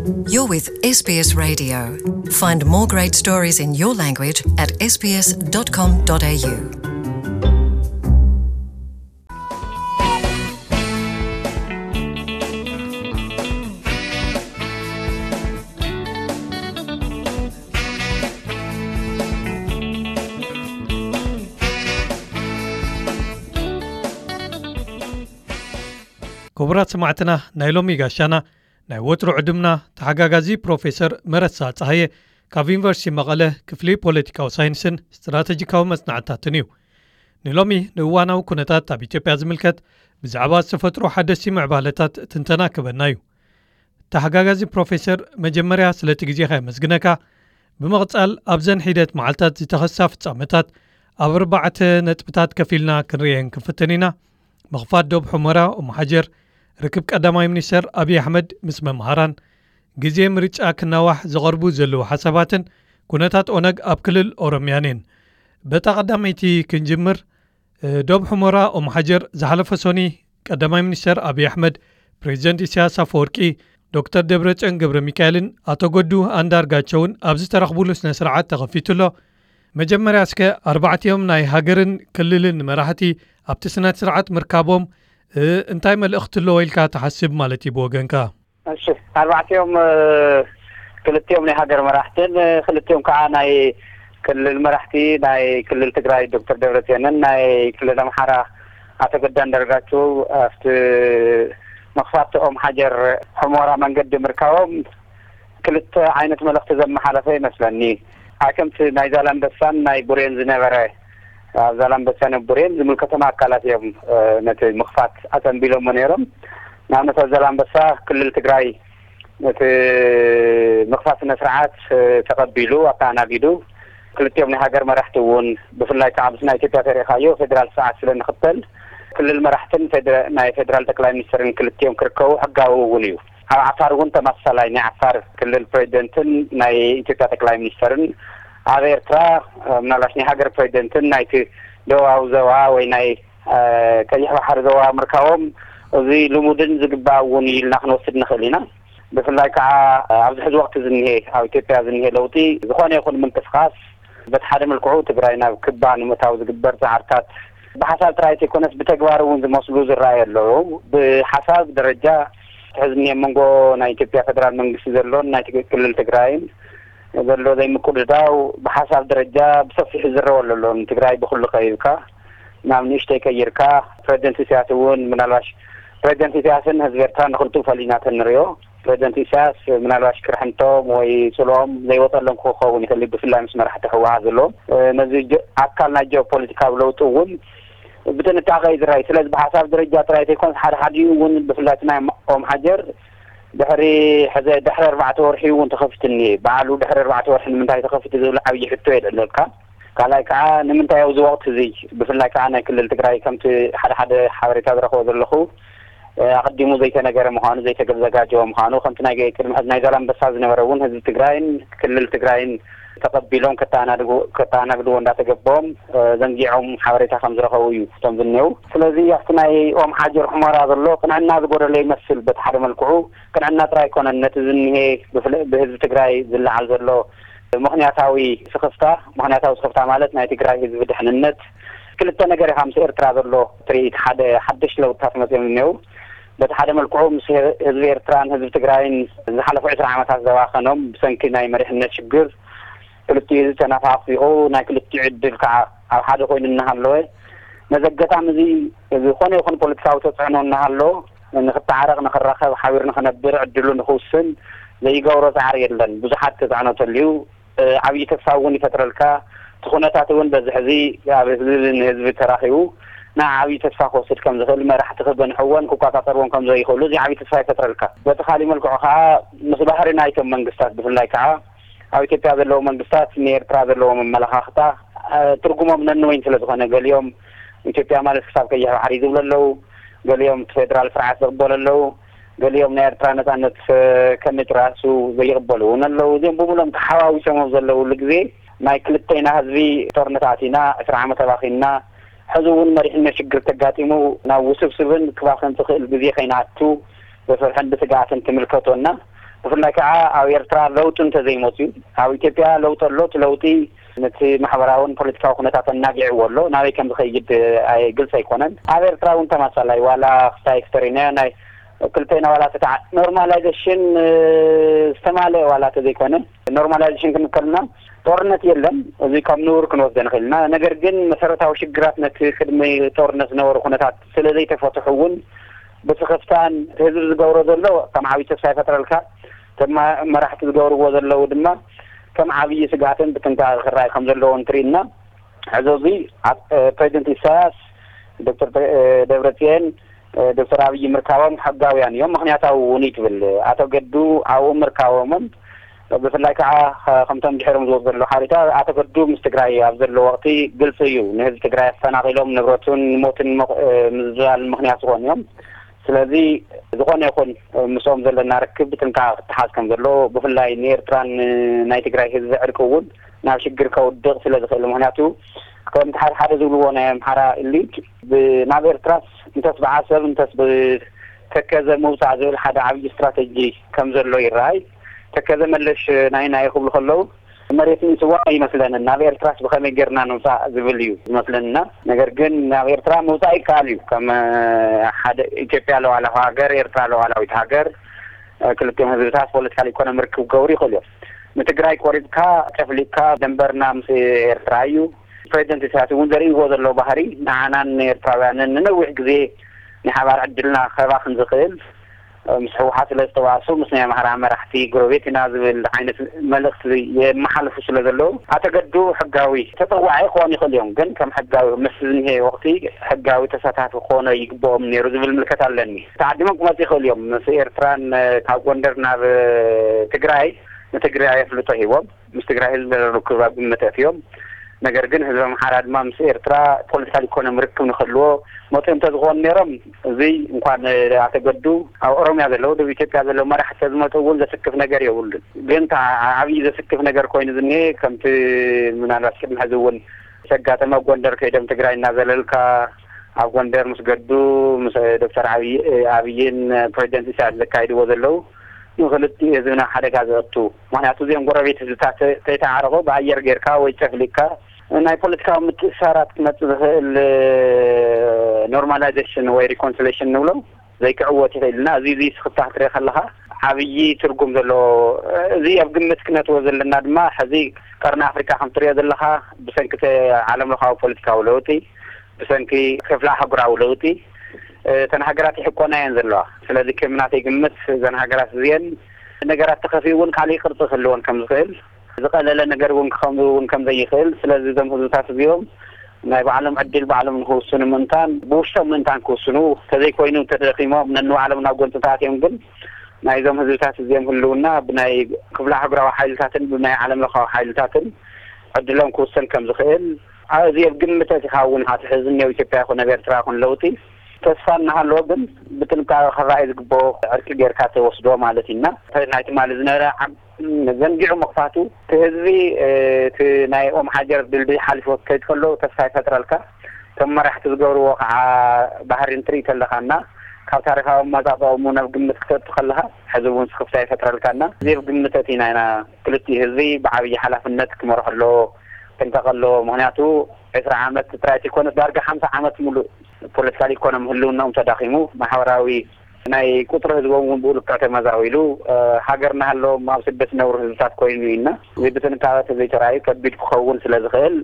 You're with S B S Radio. Find more great stories in your language at S B S dot com dot A U. ክቡራት ሰማዕትና፣ ናይ ሎሚ ጋሻና ናይ ወትሩ ዕዱምና ተሓጋጋዚ ፕሮፌሰር መረሳ ጸሃየ ካብ ዩኒቨርሲቲ መቐለ ክፍሊ ፖለቲካዊ ሳይንስን ስትራተጂካዊ መጽናዕትታትን እዩ። ንሎሚ ንእዋናዊ ኩነታት ኣብ ኢትዮጵያ ዝምልከት ብዛዕባ ዝተፈጥሩ ሓደስቲ ምዕባለታት ትንተና ክበና እዩ። ተሓጋጋዚ ፕሮፌሰር፣ መጀመርያ ስለቲ ግዜኻ የመስግነካ። ብምቕጻል ኣብዘን ሒደት መዓልታት ዝተኸሳ ፍጻመታት ኣብ ኣርባዕተ ነጥብታት ከፊልና ክንርእየን ክንፍትን ኢና። ምኽፋት ዶብ ሑመራ ኦም ሓጀር፣ ርክብ ቀዳማይ ሚኒስተር ኣብይ ኣሕመድ ምስ መምሃራን፣ ግዜ ምርጫ ክናዋሕ ዝቐርቡ ዘለዉ ሓሳባትን ኩነታት ኦነግ ኣብ ክልል ኦሮምያን እየን። በታ ቀዳመይቲ ክንጅምር። እ፣ ዶብ ሑመራ ኦም ሓጀር፣ ዝሓለፈ ሶኒ ቀዳማይ ሚኒስተር ኣብይ ኣሕመድ፣ ፕሬዚደንት ኢሳያስ ኣፈወርቂ፣ ዶክተር ደብረጽዮን ገብረ ሚካኤልን ኣቶ ገዱ ኣንዳርጋቸውን ኣብ ዝተረኽቡሉ ስነ ስርዓት ተኸፊቱ ኣሎ። መጀመርያ እስከ ኣርባዕቲኦም ናይ ሃገርን ክልልን መራሕቲ ኣብቲ ስነ ስርዓት ምርካቦም፣ እ፣ እንታይ መልእኽቲ ኣለዎ ኢልካ ትሓስብ ማለት እዩ ብወገንካ? እሺ፣ ኣርባዕቲኦም፣ እ፣ ክልቲኦም ናይ ሃገር መራሕትን፣ እ፣ ክልቲኦም ከዓ ናይ ክልል መራሕቲ፣ ናይ ክልል ትግራይ ዶክተር ደብረጽዮንን ናይ ክልል ኣምሓራ ኣቶ ገዱ ኣንዳርጋቸው ኣብቲ መኽፋቲ ኦም ሓጀር ሑመራ መንገዲ ምርካቦም ክልተ ዓይነት መልእኽቲ ዘመሓለፈ ይመስለኒ። ኣይ ከምቲ ናይ ዛላምበሳን ናይ ቡሬን ዝነበረ፣ ኣብ ዛላምበሳን ኣብ ቡሬን ዝምልከቶም ኣካላት እዮም፣ እ፣ ነቲ ምኽፋት ኣጸንቢሎሞ ነይሮም። ንኣብነት ኣብ ዛላምበሳ ክልል ትግራይ ነቲ ምኽፋት ስነ ስርዓት፣ እ፣ ተቐቢሉ ኣተኣናጊዱ። ክልቲኦም ናይ ሃገር መራሕቲ እውን ብፍላይ ከዓ ምስ ናይ ኢትዮጵያ ተሪእኻዮ ፌዴራል ስርዓት ስለ ንኽተል ክልል መራሕትን ፌደ-፣ ናይ ፌዴራል ጠቅላይ ሚኒስትርን ክልቲኦም ክርከቡ ሕጋዊ እውን እዩ። ኣብ ዓፋር እውን ተመሳሳላይ ናይ ዓፋር ክልል ፕሬዚደንትን ናይ ኢትዮጵያ ጠቅላይ ሚኒስትርን ኣብ ኤርትራ፣ እ፣ ምናልባሽ ናይ ሃገር ፕሬዚደንትን ናይቲ ደቡባዊ ዞባ ወይ ናይ፣ እ፣ ቀይሕ ባሕሪ ዞባ ምርካቦም እዚ ልሙድን ዝግባእ እውን እዩ ኢልና ክንወስድ ንኽእል ኢና። ብፍላይ ከዓ ኣብዚ ሕዚ ወቅቲ ዝኒሄ ኣብ ኢትዮጵያ ዝኒሄ ለውጢ ዝኾነ ይኹን ምንቅስቃስ በቲ ሓደ መልክዑ ትግራይ ናብ ክባ ንምእታው ዝግበር ፃዕርታት ብሓሳብ ጥራይ ዘይኮነስ ብተግባር እውን ዝመስሉ ዝረኣዩ ኣለዉ። ብሓሳብ ደረጃ ሕዚ እኒሄ መንጎ ናይ ኢትዮጵያ ፌደራል መንግስቲ ዘሎን ናይ ትግ-፣ ክልል ትግራይን ዘሎ ዘይምቁድዳው ብሓሳብ ደረጃ ብሰፊሑ ዝረወ ኣሎ። ንትግራይ ብኩሉ ቀይርካ ናብ ንእሽተይ ቀይርካ ፕሬዚደንት ኢሳያስ እውን ምናልባሽ ፕሬዚደንት ኢሳያስን ህዝቢ ኤርትራ ንክልቲኡ ፈሊና ተንሪኦ። ፕሬዚደንት ኢሳያስ ምናልባሽ ክርሕንቶም ወይ ጽልኦም ዘይወጸሎም ክኸውን ይኽእል እዩ፣ ብፍላይ ምስ መራሕቲ ህወሓት ዘለዎም። እ፣ ነዚ ጀ-፣ ኣካል ናይ ጂኦፖለቲካዊ ለውጢ እውን ብጥንቃቐ እዩ ዝረኣይ። ስለዚ ብሓሳብ ደረጃ ጥራይ ዘይኮነስ ሓደ ሓዲኡ እውን ብፍላይ እቲ ናይ ኦም ሓጀር ድሕሪ ሕዘ-፣ ድሕሪ ኣርባዕተ ወርሒ እውን ተኸፊቱ እኒኤ። በዓሉ ድሕሪ ኣርባዕተ ወርሒ ንምንታይ ተኸፊቱ ዝብል ዓብዪ ሕቶ የልዕለልካ። ካልኣይ ከዓ ንምንታይ ኣብዚ ወቕቲ እዚ ብፍላይ ከዓ ናይ ክልል ትግራይ ከምቲ ሓደ ሓደ ሓበሬታ ዝረኽቦ ዘለኹ፣ እ፣ ኣቐዲሙ ዘይተነገረ ምዃኑ፣ ዘይተዘጋጀወ ምዃኑ፣ ከምቲ ናይ ቅድሚ ሕዚ ናይ ዛላምበሳ ዝነበረ እውን ህዝቢ ትግራይን ክልል ትግራይን ተቐቢሎም ከተኣናድጉ-፣ ከተኣናግድዎ እንዳተገበኦም፣ እ፣ ዘንጊዖም ሓበሬታ ከም ዝረኸቡ እዩ እቶም ዝኔው። ስለዚ ኣብቲ ናይ ኦም ሓጀር ሑመራ ዘሎ ቅንዕና ዝጎደሎ ይመስል። በቲ ሓደ መልክዑ ቅንዕና ጥራይ ኣይኮነን፣ ነቲ ዝኒሄ ብፍለ-፣ ብህዝቢ ትግራይ ዝለዓል ዘሎ ምኽንያታዊ ስኽፍታ፣ ምኽንያታዊ ስኽፍታ ማለት ናይ ትግራይ ህዝቢ ድሕንነት፣ ክልተ ነገር ኢኻ ምስ ኤርትራ ዘሎ ትርኢት፣ ሓደ ሓደሽ ለውጥታት መፅዮም እኒሄው። በቲ ሓደ መልክዑ ምስ ህዝቢ ኤርትራን ህዝቢ ትግራይን ዝሓለፉ ዕስራ ዓመታት ዘባኸኖም ብሰንኪ ናይ መሪሕነት ሽግር ክልቲኡ ህዝቢ ተነፋፊቑ ናይ ክልቲኡ ዕድል ከዓ ኣብ ሓደ ኮይኑ እናሃለወ ነዚ ኣጋጣሚ እዚ ዝኾነ ይኹን ፖለቲካዊ ተፅዕኖ እናሃለዎ ንክተዓረቕ፣ ንክራኸብ፣ ሓቢሩ ንክነብር ዕድሉ ንክውስን ዘይገብሮ ፃዕሪ የለን። ብዙሓት ተፅዕኖ ተልዩ፣ እ፣ ዓብዪ ተስፋ እውን ይፈጥረልካ። እቲ ኩነታት እውን በዚ ሕዚ ኣብ ህዝቢ ንህዝቢ ተራኺቡ ንዓ ዓብዪ ተስፋ ክወስድ ከም ዝኽእል፣ መራሕቲ ክገንሕዎን ክቆፃፀርዎን ከም ዘይኽእሉ እዚ ዓብዪ ተስፋ ይፈጥረልካ። በቲ ካሊእ መልክዑ ከዓ ምስ ባህሪ ናይቶም መንግስታት ብፍላይ ከዓ ኣብ ኢትዮጵያ ዘለዉ መንግስታት ንኤርትራ ዘለዎም ኣመለኻኽታ፣ እ፣ ትርጉሞም ነንወይን ስለ ዝኾነ ገሊኦም ኢትዮጵያ ማለት ክሳብ ቀይሕ ባሕሪ ዝብሉ ኣለዉ። ገሊኦም እቲ ፌደራል ስርዓት ዝቕበሉ ኣለዉ። ገሊኦም ናይ ኤርትራ ነጻነት፣ እ፣ ከመይ ጭራሱ ዘይቕበሉ እውን ኣለዉ። እዚኦም ብምሎም ተሓዋዊሶም ኣብ ዘለዉሉ ግዜ ናይ ክልተና ህዝቢ ጦርነት ኣቲና፣ ዕስራ ዓመት ኣባኺንና፣ ሕዚ እውን መሪሕነት ሽግር ተጋጢሙ ናብ ውስብስብን ክባኽን ዝኽእል ግዜ ከይንኣቱ ብፍርሕን ብስግኣትን ትምልከቶና። ብፍላይ ከዓ ኣብ ኤርትራ ለውጢ እንተዘይመፅዩ፣ ኣብ ኢትዮጵያ ለውጢ ኣሎ። እቲ ለውጢ ነቲ ማሕበራውን ፖለቲካዊ ኩነታት ኣናጊዕዎ ኣሎ። ናበይ ከም ዝኸይድ ኣይ- ግልፂ ኣይኮነን። ኣብ ኤርትራ እውን ተመሳሳሊ ዋላ ክስታይ ኤክስተሪንያ ናይ ክልቴና ዋላ ተተዓ ኖርማላይዜሽን ዝተማለአ ዋላ ተዘይኮነ፣ ኖርማላይዜሽን ክንከልና ጦርነት የለን። እዚ ካብ ንቡር ክንወስዶ ንኽእል ኢና። ነገር ግን መሰረታዊ ሽግራት ነቲ ቅድሚ ጦርነት ዝነበሩ ኩነታት ስለ ዘይተፈትሑ እውን ብስኽፍታን ህዝቢ ዝገብሮ ዘሎ ከም ዓብዪ ተስፋ ይፈጥረልካ። ከም መራሕቲ ዝገብርዎ ዘለዉ ድማ ከም ዓብዪ ስግኣትን ብጥንቃቐ ክረኣይ ከም ዘለዎ እንትርኢ ኢና። ሕዚ እዚ ኣብ ፕሬዚደንት ኢሳያስ፣ ዶክተር ደብረፅዮን፣ ዶክተር ኣብይ ምርካቦም ሕጋውያን እዮም፣ ምክንያታዊ እውን እዩ ትብል። ኣቶ ገዱ ኣብኡ ምርካቦምን ብፍላይ ከዓ ከምቶም ድሕሮም ዝወፁ ዘለዉ ሓሪታ ኣቶ ገዱ ምስ ትግራይ ኣብ ዘለዎ ወቅቲ ግልፂ እዩ፣ ንህዝቢ ትግራይ ኣፈናቂሎም ንብረቱን ንሞትን ምዝባል ምክንያት ዝኾኑ እዮም። ስለዚ ዝኾነ ይኹን ምስኦም ዘለና ርክብ ብጥንቃቐ ክተሓዝ ከም ዘለዎ፣ ብፍላይ ንኤርትራን ናይ ትግራይ ህዝቢ ዕርቂ እውን ናብ ሽግር ከውድቕ ስለ ዝኽእል። ምክንያቱ ከምቲ ሓደ ሓደ ዝብልዎ ናይ ኣምሓራ ኢሊት ናብ ኤርትራስ እንተስ ብዓሰብ እንተስ ብተከዘ ምውፃእ ዝብል ሓደ ዓብዪ ስትራተጂ ከም ዘሎ ይረኣይ። ተከዘ መለሽ ናይ ናይ ክብሉ ከለዉ መሬት ንስዋ ይመስለንን። ናብ ኤርትራስ ብኸመይ ጌርና ንውፃእ ዝብል እዩ ዝመስለንና። ነገር ግን ናብ ኤርትራ ምውፃእ ይከኣል እዩ። ከም ሓደ ኢትዮጵያ ለዋላዊ ሃገር፣ ኤርትራ ለዋላዊት ሃገር፣ ክልቲኦም ህዝብታት ፖለቲካል ኢኮኖሚ ርክብ ክገብሩ ይኽእሉ እዮም። ንትግራይ ቆሪፅካ ጨፍሊቅካ ደንበርና ምስ ኤርትራ እዩ። ፕሬዚደንት ኢሳያስ እውን ዘርእይዎ ዘለዉ ባህሪ ንዓናን ንኤርትራውያንን ንነዊሕ ግዜ ናይ ሓባር ዕድልና ከባኽን ዝኽእል፣ ምስ ህወሓት ስለ ዝተዋሱ ምስ ናይ ኣምሓራ መራሕቲ ጎረቤት ኢና ዝብል ዓይነት መልእኽቲ የመሓልፉ ስለ ዘለዉ ኣተገዱ ሕጋዊ ተፀዋዒ ክኾኑ ይኽእሉ እዮም። ግን ከም ሕጋዊ ምስ ዝኒሄ ወቕቲ ሕጋዊ ተሳታፊ ክኾኖ ይግብኦም ነይሩ ዝብል ምልከት ኣለኒ። ተዓዲሞም ክመፁ ይኽእሉ እዮም። ምስ ኤርትራን ካብ ጎንደር ናብ ትግራይ ንትግራይ ኣፍልጦ ሂቦም ምስ ትግራይ ህዝቢ ርክብ ኣብ ግምት ኣእትዮም። ነገር ግን ህዝቢ ኣምሓራ ድማ ምስ ኤርትራ ፖለቲካል ኢኮኖሚ ርክብ ንክህልዎ መፅኡ እንተዝኾኑ ነይሮም፣ እዚ እንኳን ኣተገዱ ኣብ ኦሮምያ ዘለዉ፣ ደቡብ ኢትዮጵያ ዘለዉ መራሕቲ ዝመፁ እውን ዘስክፍ ነገር የብሉን። ግን እታ ዓብዪ ዘስክፍ ነገር ኮይኑ ዝኒሄ ከምቲ ምናልባት ቅድሚ ሕዚ እውን ዘጋጠመ ጎንደር ከይዶም ትግራይ እናዘለልካ ኣብ ጎንደር ምስ ገዱ ምስ ዶክተር ዓብይ ኣብይን ፕሬዚደንት ኢሳያስ ዘካይድዎ ዘለዉ ንክልቲኡ ህዝብና ሓደጋ ዘእቱ። ምክንያቱ እዚኦም ጎረቤት ህዝብታት ተይተዓረቑ ብኣየር ጌርካ ወይ ጨፍሊቅካ ናይ ፖለቲካዊ ምትእሳራት ክመፅእ ዝኽእል ኖርማላይዜሽን ወይ ሪኮንሲሌሽን ንብሎ ዘይክዕወት ይኽእል እና እዚ እዚ ስኽፍታ ክትሪኦ ከለኻ ዓብዪ ትርጉም ዘለዎ እዚ ኣብ ግምት ክነትዎ ዘለና ድማ ሕዚ ቀርኒ ኣፍሪካ ከም ትሪኦ ዘለኻ ብሰንኪ ዓለም ለኻዊ ፖለቲካዊ ለውጢ ብሰንኪ ክፍለ ኣህጉራዊ ለውጢ እተን ሃገራት ይሕቆና እየን ዘለዋ። ስለዚ ከም ናተይ ግምት እዘን ሃገራት እዚአን ነገራት ተኸፊኡ እውን ካልእ ቅርፂ ክህልወን ከም ዝኽእል ዝቐለለ ነገር እውን ክኸውን እውን ከም ዘይኽእል ስለዚ እዞም ህዝብታት እዚኦም ናይ ባዕሎም ዕድል ባዕሎም ንክውስኑ ምእንታን ብውሽጦም ምእንታን ክውስኑ ተዘይኮይኑ ተደኺሞም ነንባዕሎም ናብ ጎንፂ ተኣትዮም ግን ናይዞም ህዝብታት እዚኦም ህልውና ብናይ ክፍለ ኣህጉራዊ ሓይልታትን ብናይ ዓለም ለኻዊ ሓይልታትን ዕድሎም ክውሰን ከም ዝኽእል ኣዚ ኣብ ግምት ኣቲኻ እውን ኣቲ ሕዚ እኒኦ ኢትዮጵያ ይኹን ኣብ ኤርትራ ይኹን ለውጢ ተስፋ እናሃለዎ ግን ብጥንቃቐ ክረኣይ ዝግብኦ ዕርቂ ጌርካ ተወስዶ ማለት ኢና። ናይ ትማሊ ዝነበረ ዓም ዘንጊዑ ምኽፋቱ እቲ ህዝቢ እቲ ናይ ኦም ሓጀር ድልድይ ሓሊፎ ክከይድ ከሎ ተስፋ ይፈጥረልካ። እቶም መራሕቲ ዝገብርዎ ከዓ ባህሪ እንትርኢ ከለኻና ካብ ታሪካዊ ኣመፃፅኦም ናብ ግምት ክተእቱ ከለኻ ሕዚ እውን ስኽፍታ ይፈጥረልካና። እዚ ኣብ ግምት ኣቲና ኢና ክልቲኡ ህዝቢ ብዓብዪ ሓላፍነት ክመርሖ ኣለዎ። ጥንቀቕ ኣለዎ። ምክንያቱ ዕስራ ዓመት ጥራይ ዘይኮነስ ዳርጋ ሓምሳ ዓመት ሙሉእ ፖለቲካል ኢኮኖሚ ህልውናኦም ተዳኺሙ፣ ማሕበራዊ ናይ ቁፅሪ ህዝቦም እውን ብኡ ልክዕ ተመዛቢሉ፣ ሃገር እናሃለዎም ኣብ ስደት ዝነብሩ ህዝብታት ኮይኑ ኢና። እዚ ብጥንቃቐ ተዘይተራእዩ ከቢድ ክኸውን ስለ ዝኽእል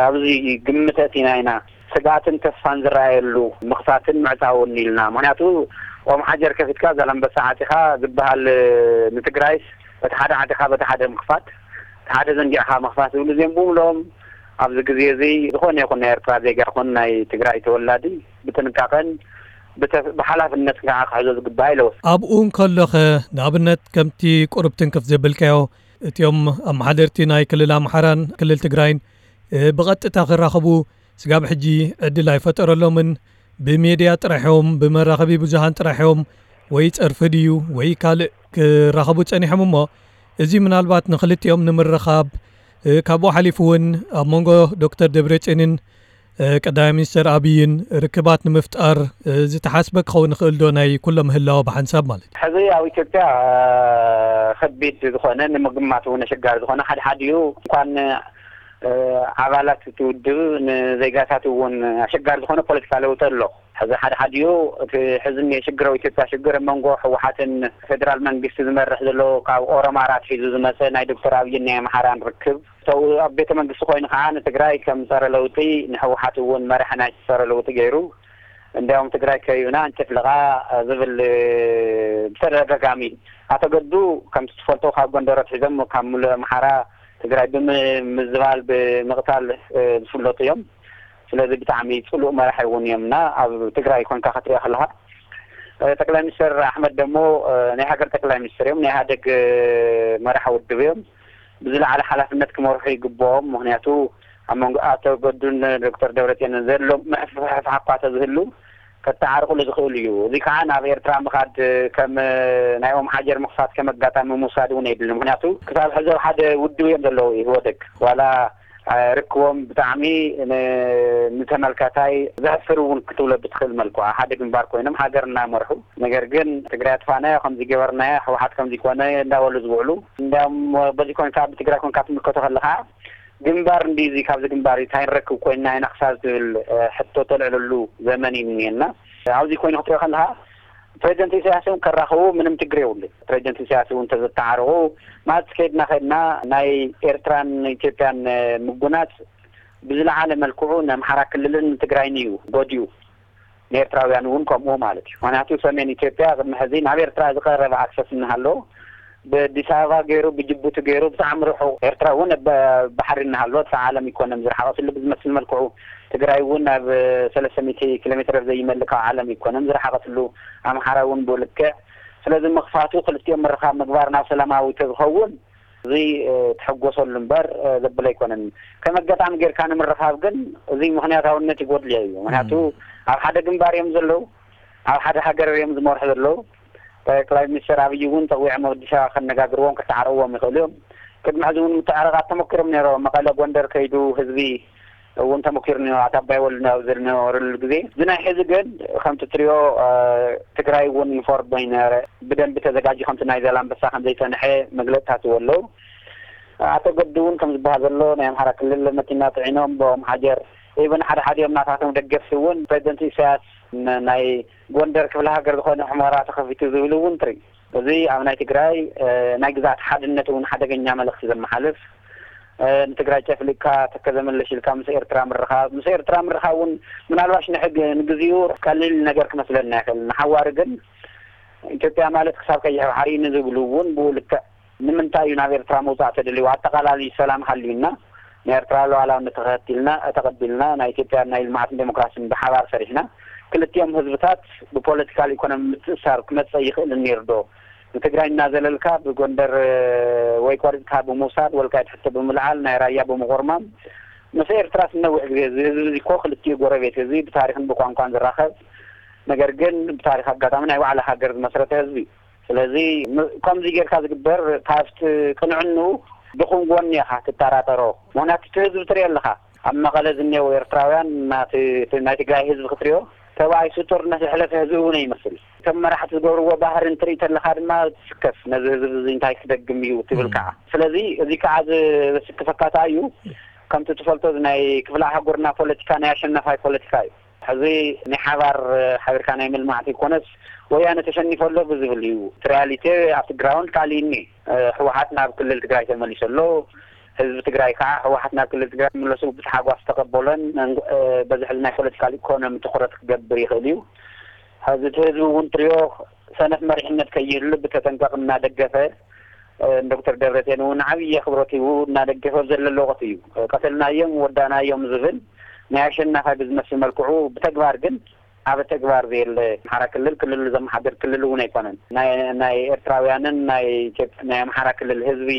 ኣብዚ ግምት ኣእቲና ኢና። ስግኣትን ተስፋን ዝረኣየሉ ምኽፋትን ምዕፃውን ኢልና። ምክንያቱ ኦም ሓጀር ከፊትካ ዛላምበሳ ዓፂኻ ዝበሃል ንትግራይስ በቲ ሓደ ዓፂኻ በቲ ሓደ ምኽፋት፣ እቲ ሓደ ዘንጊዕኻ ምኽፋት ዝብሉ እዚኦም ብምልኦም ኣብዚ ግዜ እዚ ዝኾነ ይኹን ናይ ኤርትራ ዜጋ ይኹን ናይ ትግራይ ተወላዲ ብጥንቃቐን ብተ- ብሓላፍነትን ከዓ ክሕዞ ዝግባእ ኢለወስ። ኣብኡ እንከሎኸ ንኣብነት ከምቲ ቁሩብ ትንክፍ ዘበልካዮ እቲኦም ኣመሓደርቲ ናይ ክልል ኣምሓራን ክልል ትግራይን ብቐጥታ ክራኸቡ ስጋብ ሕጂ ዕድል ኣይፈጠረሎምን። ብሜድያ ጥራሕ እዮም፣ ብመራኸቢ ብዙሃን ጥራሕ እዮም፣ ወይ ጸርፊ ድዩ ወይ ካልእ ክራኸቡ ጸኒሖም። እሞ እዚ ምናልባት ንኽልቲኦም ንምርኻብ፣ ካብኡ ሓሊፉ እውን ኣብ መንጎ ዶክተር ደብረጽዮንን ቀዳማይ ሚኒስተር ኣብይን ርክባት ንምፍጣር ዝተሓስበ ክኸውን ይኽእል ዶ? ናይ ኩሎም ህላወ ብሓንሳብ ማለት እዩ። ሕዚ ኣብ ኢትዮጵያ ከቢድ ዝኾነ፣ ንምግማት እውን ኣሸጋሪ ዝኾነ፣ ሓድሓዲኡ እንኳን ኣባላት እቲ ውድብ፣ ንዜጋታት እውን ኣሸጋሪ ዝኾነ ፖለቲካ ለውጢ ኣሎ። ሕዚ ሓድሓዲኡ እቲ ሕዚ እኒኦ ሽግር፣ ኣብ ኢትዮጵያ ሽግር ኣብ መንጎ ህወሓትን ፌደራል መንግስቲ ዝመርሕ ዘሎ ካብ ኦሮማራ ኣትሒዙ ዝመፀ ናይ ዶክተር ኣብይን ናይ ኣምሓራን ርክብ፣ ሰው ኣብ ቤተ መንግስቲ ኮይኑ ከዓ ንትግራይ ከም ጸረ ለውጢ፣ ንህወሓት እውን መራሒ ናይ ጸረ ለውጢ ገይሩ፣ እንዲያውም ትግራይ ከይብና እንጭፍልቓ ዝብል ብተደጋጋሚ፣ ኣቶ ገዱ ከምቲ ትፈልጦ ካብ ጎንደር ኣትሒዞም ካብ ሙሉእ ኣምሓራ ትግራይ ብምምዝባል፣ ብምቕታል ዝፍለጡ እዮም። ስለዚ ብጣዕሚ ጽሉእ መራሒ እውን እዮም እና ኣብ ትግራይ ኮንካ ክትሪኦ ከለኻ፣ ጠቅላይ ሚኒስትር ኣሕመድ ደሞ ናይ ሃገር ጠቅላይ ሚኒስትር እዮም፣ ናይ ኢህኣደግ መራሒ ውድብ እዮም። ብዝለዓለ ሓላፍነት ክመርሑ ይግብኦም። ምኽንያቱ ኣብ መንጎ ኣቶ ገዱን ዶክተር ደብረፅዮንን ዘሎ ምሕፍሕፋሕ እኳ ተዝህሉ፣ ከተዓርቕሉ ዝኽእል እዩ። እዚ ከዓ ናብ ኤርትራ ምኻድ ከም ናይ ኦም ሓጀር ምኽፋት ከም ኣጋጣሚ ምውሳድ እውን የድሊ። ምኽንያቱ ክሳብ ሕዚ ኣብ ሓደ ውድብ እዮም ዘለዉ፣ ኢህወደግ ዋላ ርክቦም ብጣዕሚ ን-፣ ንተመልካታይ ዘሕፍር እውን ክትብሎ ብትኽእል መልክዑ፣ ኣብ ሓደ ግንባር ኮይኖም ሃገር እናመርሑ፣ ነገር ግን ትግራይ ኣጥፋእናዮ፣ ከምዚ ገበርናዮ፣ ህወሓት ከምዚ ኮነ እንዳበሉ ዝውዕሉ። እንዲያውም በዚ ኮንካ፣ ብትግራይ ኮንካ ትምልከቶ ከለኻ፣ ግንባር እንዲ እዚ፣ ካብዚ ግንባር እንታይ ንረክብ ኮይንና ኢና ክሳብ ዝብል ሕቶ ተልዕለሉ ዘመን እዩ እኒኤና። ኣብዚ ኮይኑ ክትሪኦ ከለኻ፣ ፕሬዚደንት ኢሳያስ እውን ከራኽቡ ምንም ችግር የብሉ። ፕሬዚደንት ኢሳያስ እውን እንተዘተዓረቑ፣ ማለት ከይድና ከይድና ናይ ኤርትራን ኢትዮጵያን ምጉናጽ ብዝለዓለ መልክዑ ንኣምሓራ ክልልን ትግራይን እዩ ጎዲኡ። ንኤርትራውያን እውን ከምኡ ማለት እዩ። ምኽንያቱ ሰሜን ኢትዮጵያ ቅድሚ ሕዚ ናብ ኤርትራ ዝቐረበ ኣክሰስ እናሃለዎ፣ ብኣዲስ ኣበባ ገይሩ፣ ብጅቡቲ ገይሩ፣ ብጣዕሚ ርሑቕ፣ ኤርትራ እውን ብ-፣ ባሕሪ እናሃለወት፣ ካብ ዓለም ኢኮኖሚ ዝረሓቐትሉ ብዝመስል መልክዑ፣ ትግራይ እውን ናብ ሰለስተ ሚእቲ ኪሎ ሜትር ኣብ ዘይመልእ ካብ ዓለም ኢኮኖሚ ዝረሓቐትሉ፣ ኣምሓራ እውን ብኡ ልክዕ። ስለዚ ምኽፋቱ፣ ክልቲኦም ምርኻብ ምግባር ናብ ሰላማዊ ተዝኸውን፣ እዚ፣ እ፣ ትሕጎሰሉ እምበር፣ እ፣ ዘብል ኣይኮነን። ከም ኣጋጣሚ ጌርካ ንምርኻብ ግን፣ እዚ ምኽንያታውነት ይጎድልዮ እዩ። ምኽንያቱ፣ እም። ኣብ ሓደ ግንባር እዮም ዘለዉ፣ ኣብ ሓደ ሃገር እዮም ዝመርሑ ዘለዉ። ጠቅላይ ሚኒስትር ኣብይ እውን ጠዊዖም ኣብ ኣዲስ ኣበባ ከነጋግርዎም፣ ከተዓርቕዎም ይኽእሉ እዮም። ቅድሚ ሕዚ እውን ምትዕርቓት ተሞኪሮም ነይሮም። መቐለ፣ ጎንደር ከይዱ ህዝቢ እውን ተሞኪሩ ነይሩ። ኣቶ ኣባይ ወልዱ ኣብ ዝነበረሉ ግዜ። እዚ ናይ ሕዚ ግን ከምቲ ትሪኦ፣ እ፣ ትግራይ እውን ኢንፎርም በይነ ብደንቢ ተዘጋጅዩ ከምቲ ናይ ዛላምበሳ ከም ዘይጸንሐ መግለጽታት ኣለዉ። ኣቶ ገዱ እውን ከም ዝበሃል ዘሎ ናይ ኣምሓራ ክልል መኪና ጽዒኖም ብኦም ሓጀር፣ ኢቨን ሓደ ሓዲኦም ናታቶም ደገፍቲ እውን ፕሬዚደንት ኢሳያስ ን-፣ ናይ ጎንደር ክፍለ ሃገር ዝኾነ ሑመራ ተኸፊቱ ዝብል እውን ትርኢ። እዚ ኣብ ናይ ትግራይ፣ እ፣ ናይ ግዛት ሓድነት እውን ሓደገኛ መልእኽቲ ዘመሓልፍ፣ እ፣ ንትግራይ ጨፍሊቅካ ተከዘ መለሽ ኢልካ ምስ ኤርትራ ምርኻብ፣ ምስ ኤርትራ ምርኻብ እውን ምናልባሽ ንሕግ-፣ ንግዚኡ ቀሊል ነገር ክመስለና ይኽእል። ንሓዋሪ ግን ኢትዮጵያ ማለት ክሳብ ቀይሕ ባሕሪ ንዝብሉ እውን ብኡ ልክዕ ንምንታይ እዩ ናብ ኤርትራ ምውጻእ ተደልዩ? ኣጠቓላሊ ሰላም ሃልዩና፣ ናይ ኤርትራ ሉዓላውነት ተኸቲልና፣ ተቐቢልና፣ ናይ ኢትዮጵያ ናይ ልምዓትን ዴሞክራሲን ብሓባር ሰሪሕና፣ ክልቲኦም ህዝብታት ብፖለቲካል ኢኮኖሚ ምትእስሳር ክመጽእ ይኽእል ነይሩ ዶ? ንትግራይ እናዘለልካ ብጎንደር ወይ ቆሪጽካ ብምውሳድ፣ ወልቃይት ሕቶ ብምልዓል፣ ናይ ራያ ብምቑርማም፣ ምስ ኤርትራስ ነዊሕ ግዜ፣ እዚ ህዝቢ እዚ እኮ ክልቲኡ ጎረቤት ህዝቢ፣ ብታሪኽን ብቋንቋን ዝራኸብ፣ ነገር ግን ብታሪኽ ኣጋጣሚ ናይ ባዕሉ ሃገር ዝመስረተ ህዝቢ እዩ። ስለዚ ም-፣ ከምዚ ጌርካ ዝግበር ካብቲ ቅንዕንኡ ድኹም ጎኒ ኢኻ ትጠራጠሮ። ምኽንያቱ እቲ ህዝቢ ትሪኦ ኣለኻ። ኣብ መቐለ ዝኔው ኤርትራውያን ናቲ፣ እቲ ናይ ትግራይ ህዝቢ ክትሪኦ ተባኢሱ ጦርነት ዘሕለፈ ህዝቢ እውን ይመስል። እቶም መራሕቲ ዝገብርዎ ባህሪ እንትርኢ ተለኻ ድማ ትስከፍ። ነዚ ህዝቢ እዚ እንታይ ክደግም እዩ ትብል እም። ከዓ። ስለዚ እዚ ከዓ ዝ-፣ ዘስክፈካ እንታይ እዩ? ከምቲ ትፈልጦ እዚ ናይ ክፍለ ኣህጉርና ፖለቲካ ናይ ኣሸናፋይ ፖለቲካ እዩ። ሕዚ ናይ ሓባር፣ ሓቢርካ ናይ ምልማዕ ዘይኮነስ፣ ወያነ ተሸኒፈ ኣሎ ብዝብል እዩ። እቲ ሪያሊቲ ኣብቲ ግራውንድ ካልእ እኒ፣ ህወሓት ናብ ክልል ትግራይ ተመሊሱ ኣሎ። ህዝቢ ትግራይ ከዓ ህወሓት ናብ ክልል ትግራይ ምለሱ ብታሓጓስ ተቐበሎን፣ በዚ ሕዚ ናይ ፖለቲካል ኢኮኖሚ ትኹረት ክገብር ይኽእል እዩ። ሕዚ እቲ ህዝቢ እውን ትሪኦ ሰነፍ መሪሕነት ከይህሉ ብተጠንቀቕ እናደገፈ፣ ዶክተር ደብረፅዮን እውን ዓብዪ ኣኽብሮት ሂቡ እናደገፈ ኣብ ዘለሎ ወቕቲ እዩ። ቀተልናዮም፣ ወዳእናዮም ዝብል ናይ ኣሸናፋ ብዝመስል መልክዑ፣ ብተግባር ግን ኣብ ተግባር ዘየለ፣ ኣምሓራ ክልል ክልሉ ዘመሓድር ክልል እውን ኣይኮነን። ናይ፣ ናይ ኤርትራውያንን ናይ ኢትዮጵያ፣ ናይ ኣምሓራ ክልል ህዝቢ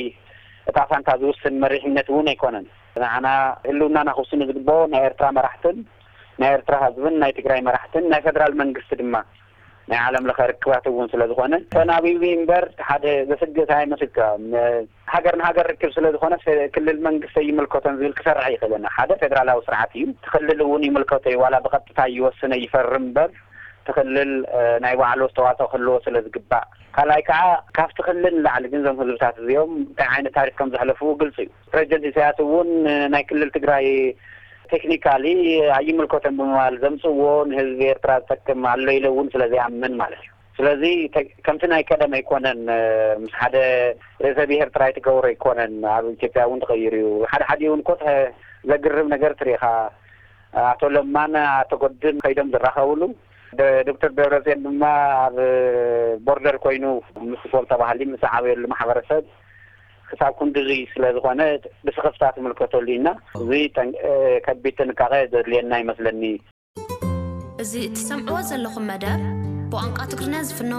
እጣ ፋንታ ዝውስን መሪሕነት እውን ኣይኮነን። ንዓና ህልውናና ክውስኑ ዝግብኦ ናይ ኤርትራ መራሕትን ናይ ኤርትራ ህዝብን ናይ ትግራይ መራሕትን ናይ ፌደራል መንግስቲ ድማ ናይ ዓለም ለኸ ርክባት እውን ስለ ዝኾነ ተናቢቢ እምበር ሓደ ዘስግእ ኣይመስልካን። ሃገር ንሃገር ርክብ ስለ ዝኾነ ክልል መንግስቲ ይምልከቶን ዝብል ክሰርሕ ይኽእልን ሓደ ፌደራላዊ ስርዓት እዩ። ክልል እውን ይምልከቶ እዩ ዋላ ብቐጥታ ይወስነ ይፈርም እምበር ትኽልል ናይ ባዕሉ ኣስተዋፅኦ ክህልዎ ስለ ዝግባእ ካልኣይ ከዓ ካብቲ ክልል ንላዕሊ ግን ዞም ህዝብታት እዚኦም እንታይ ዓይነት ታሪክ ከም ዘሕለፍዎ ግልፂ እዩ። ፕሬዚደንት ኢሳያስ እውን ናይ ክልል ትግራይ ቴክኒካሊ ኣይምልከቶም ብምባል ዘምፅዎ ንህዝቢ ኤርትራ ዝጠቅም ኣሎ ኢለ እውን ስለ ዘይኣምን ማለት እዩ። ስለዚ ከምቲ ናይ ቀደም ኣይኮነን። ምስ ሓደ ርእሰ ብሄር ጥራይ ትገብሮ ኣይኮነን ኣብ ኢትዮጵያ እውን ተቐይሩ እዩ። ሓደ ሓደ እውን ኮ ዘግርም ነገር ትሪኢኻ ኣቶ ለማን ኣቶ ገዱን ከይዶም ዝራኸብሉ ዶክተር ደብረፅዮን ድማ ኣብ ቦርደር ኮይኑ ምስ ፖል ተባሃሊ ምስ ዓበየሉ ማሕበረሰብ ክሳብ ክንድዙይ ስለ ዝኾነ ብስኽፍታ ትምልከተሉ ኢና። እዚ ከቢድ ጥንቃቐ ዘድልየና ይመስለኒ። እዚ እትሰምዕዎ ዘለኹም መደብ ብቋንቋ ትግርኛ ዝፍኖ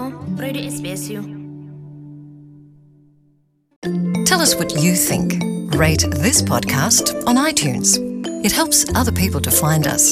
ሬድዮ ኤስቢኤስ እዩ። Tell us what you think. Rate this podcast on iTunes. It helps other people to find us.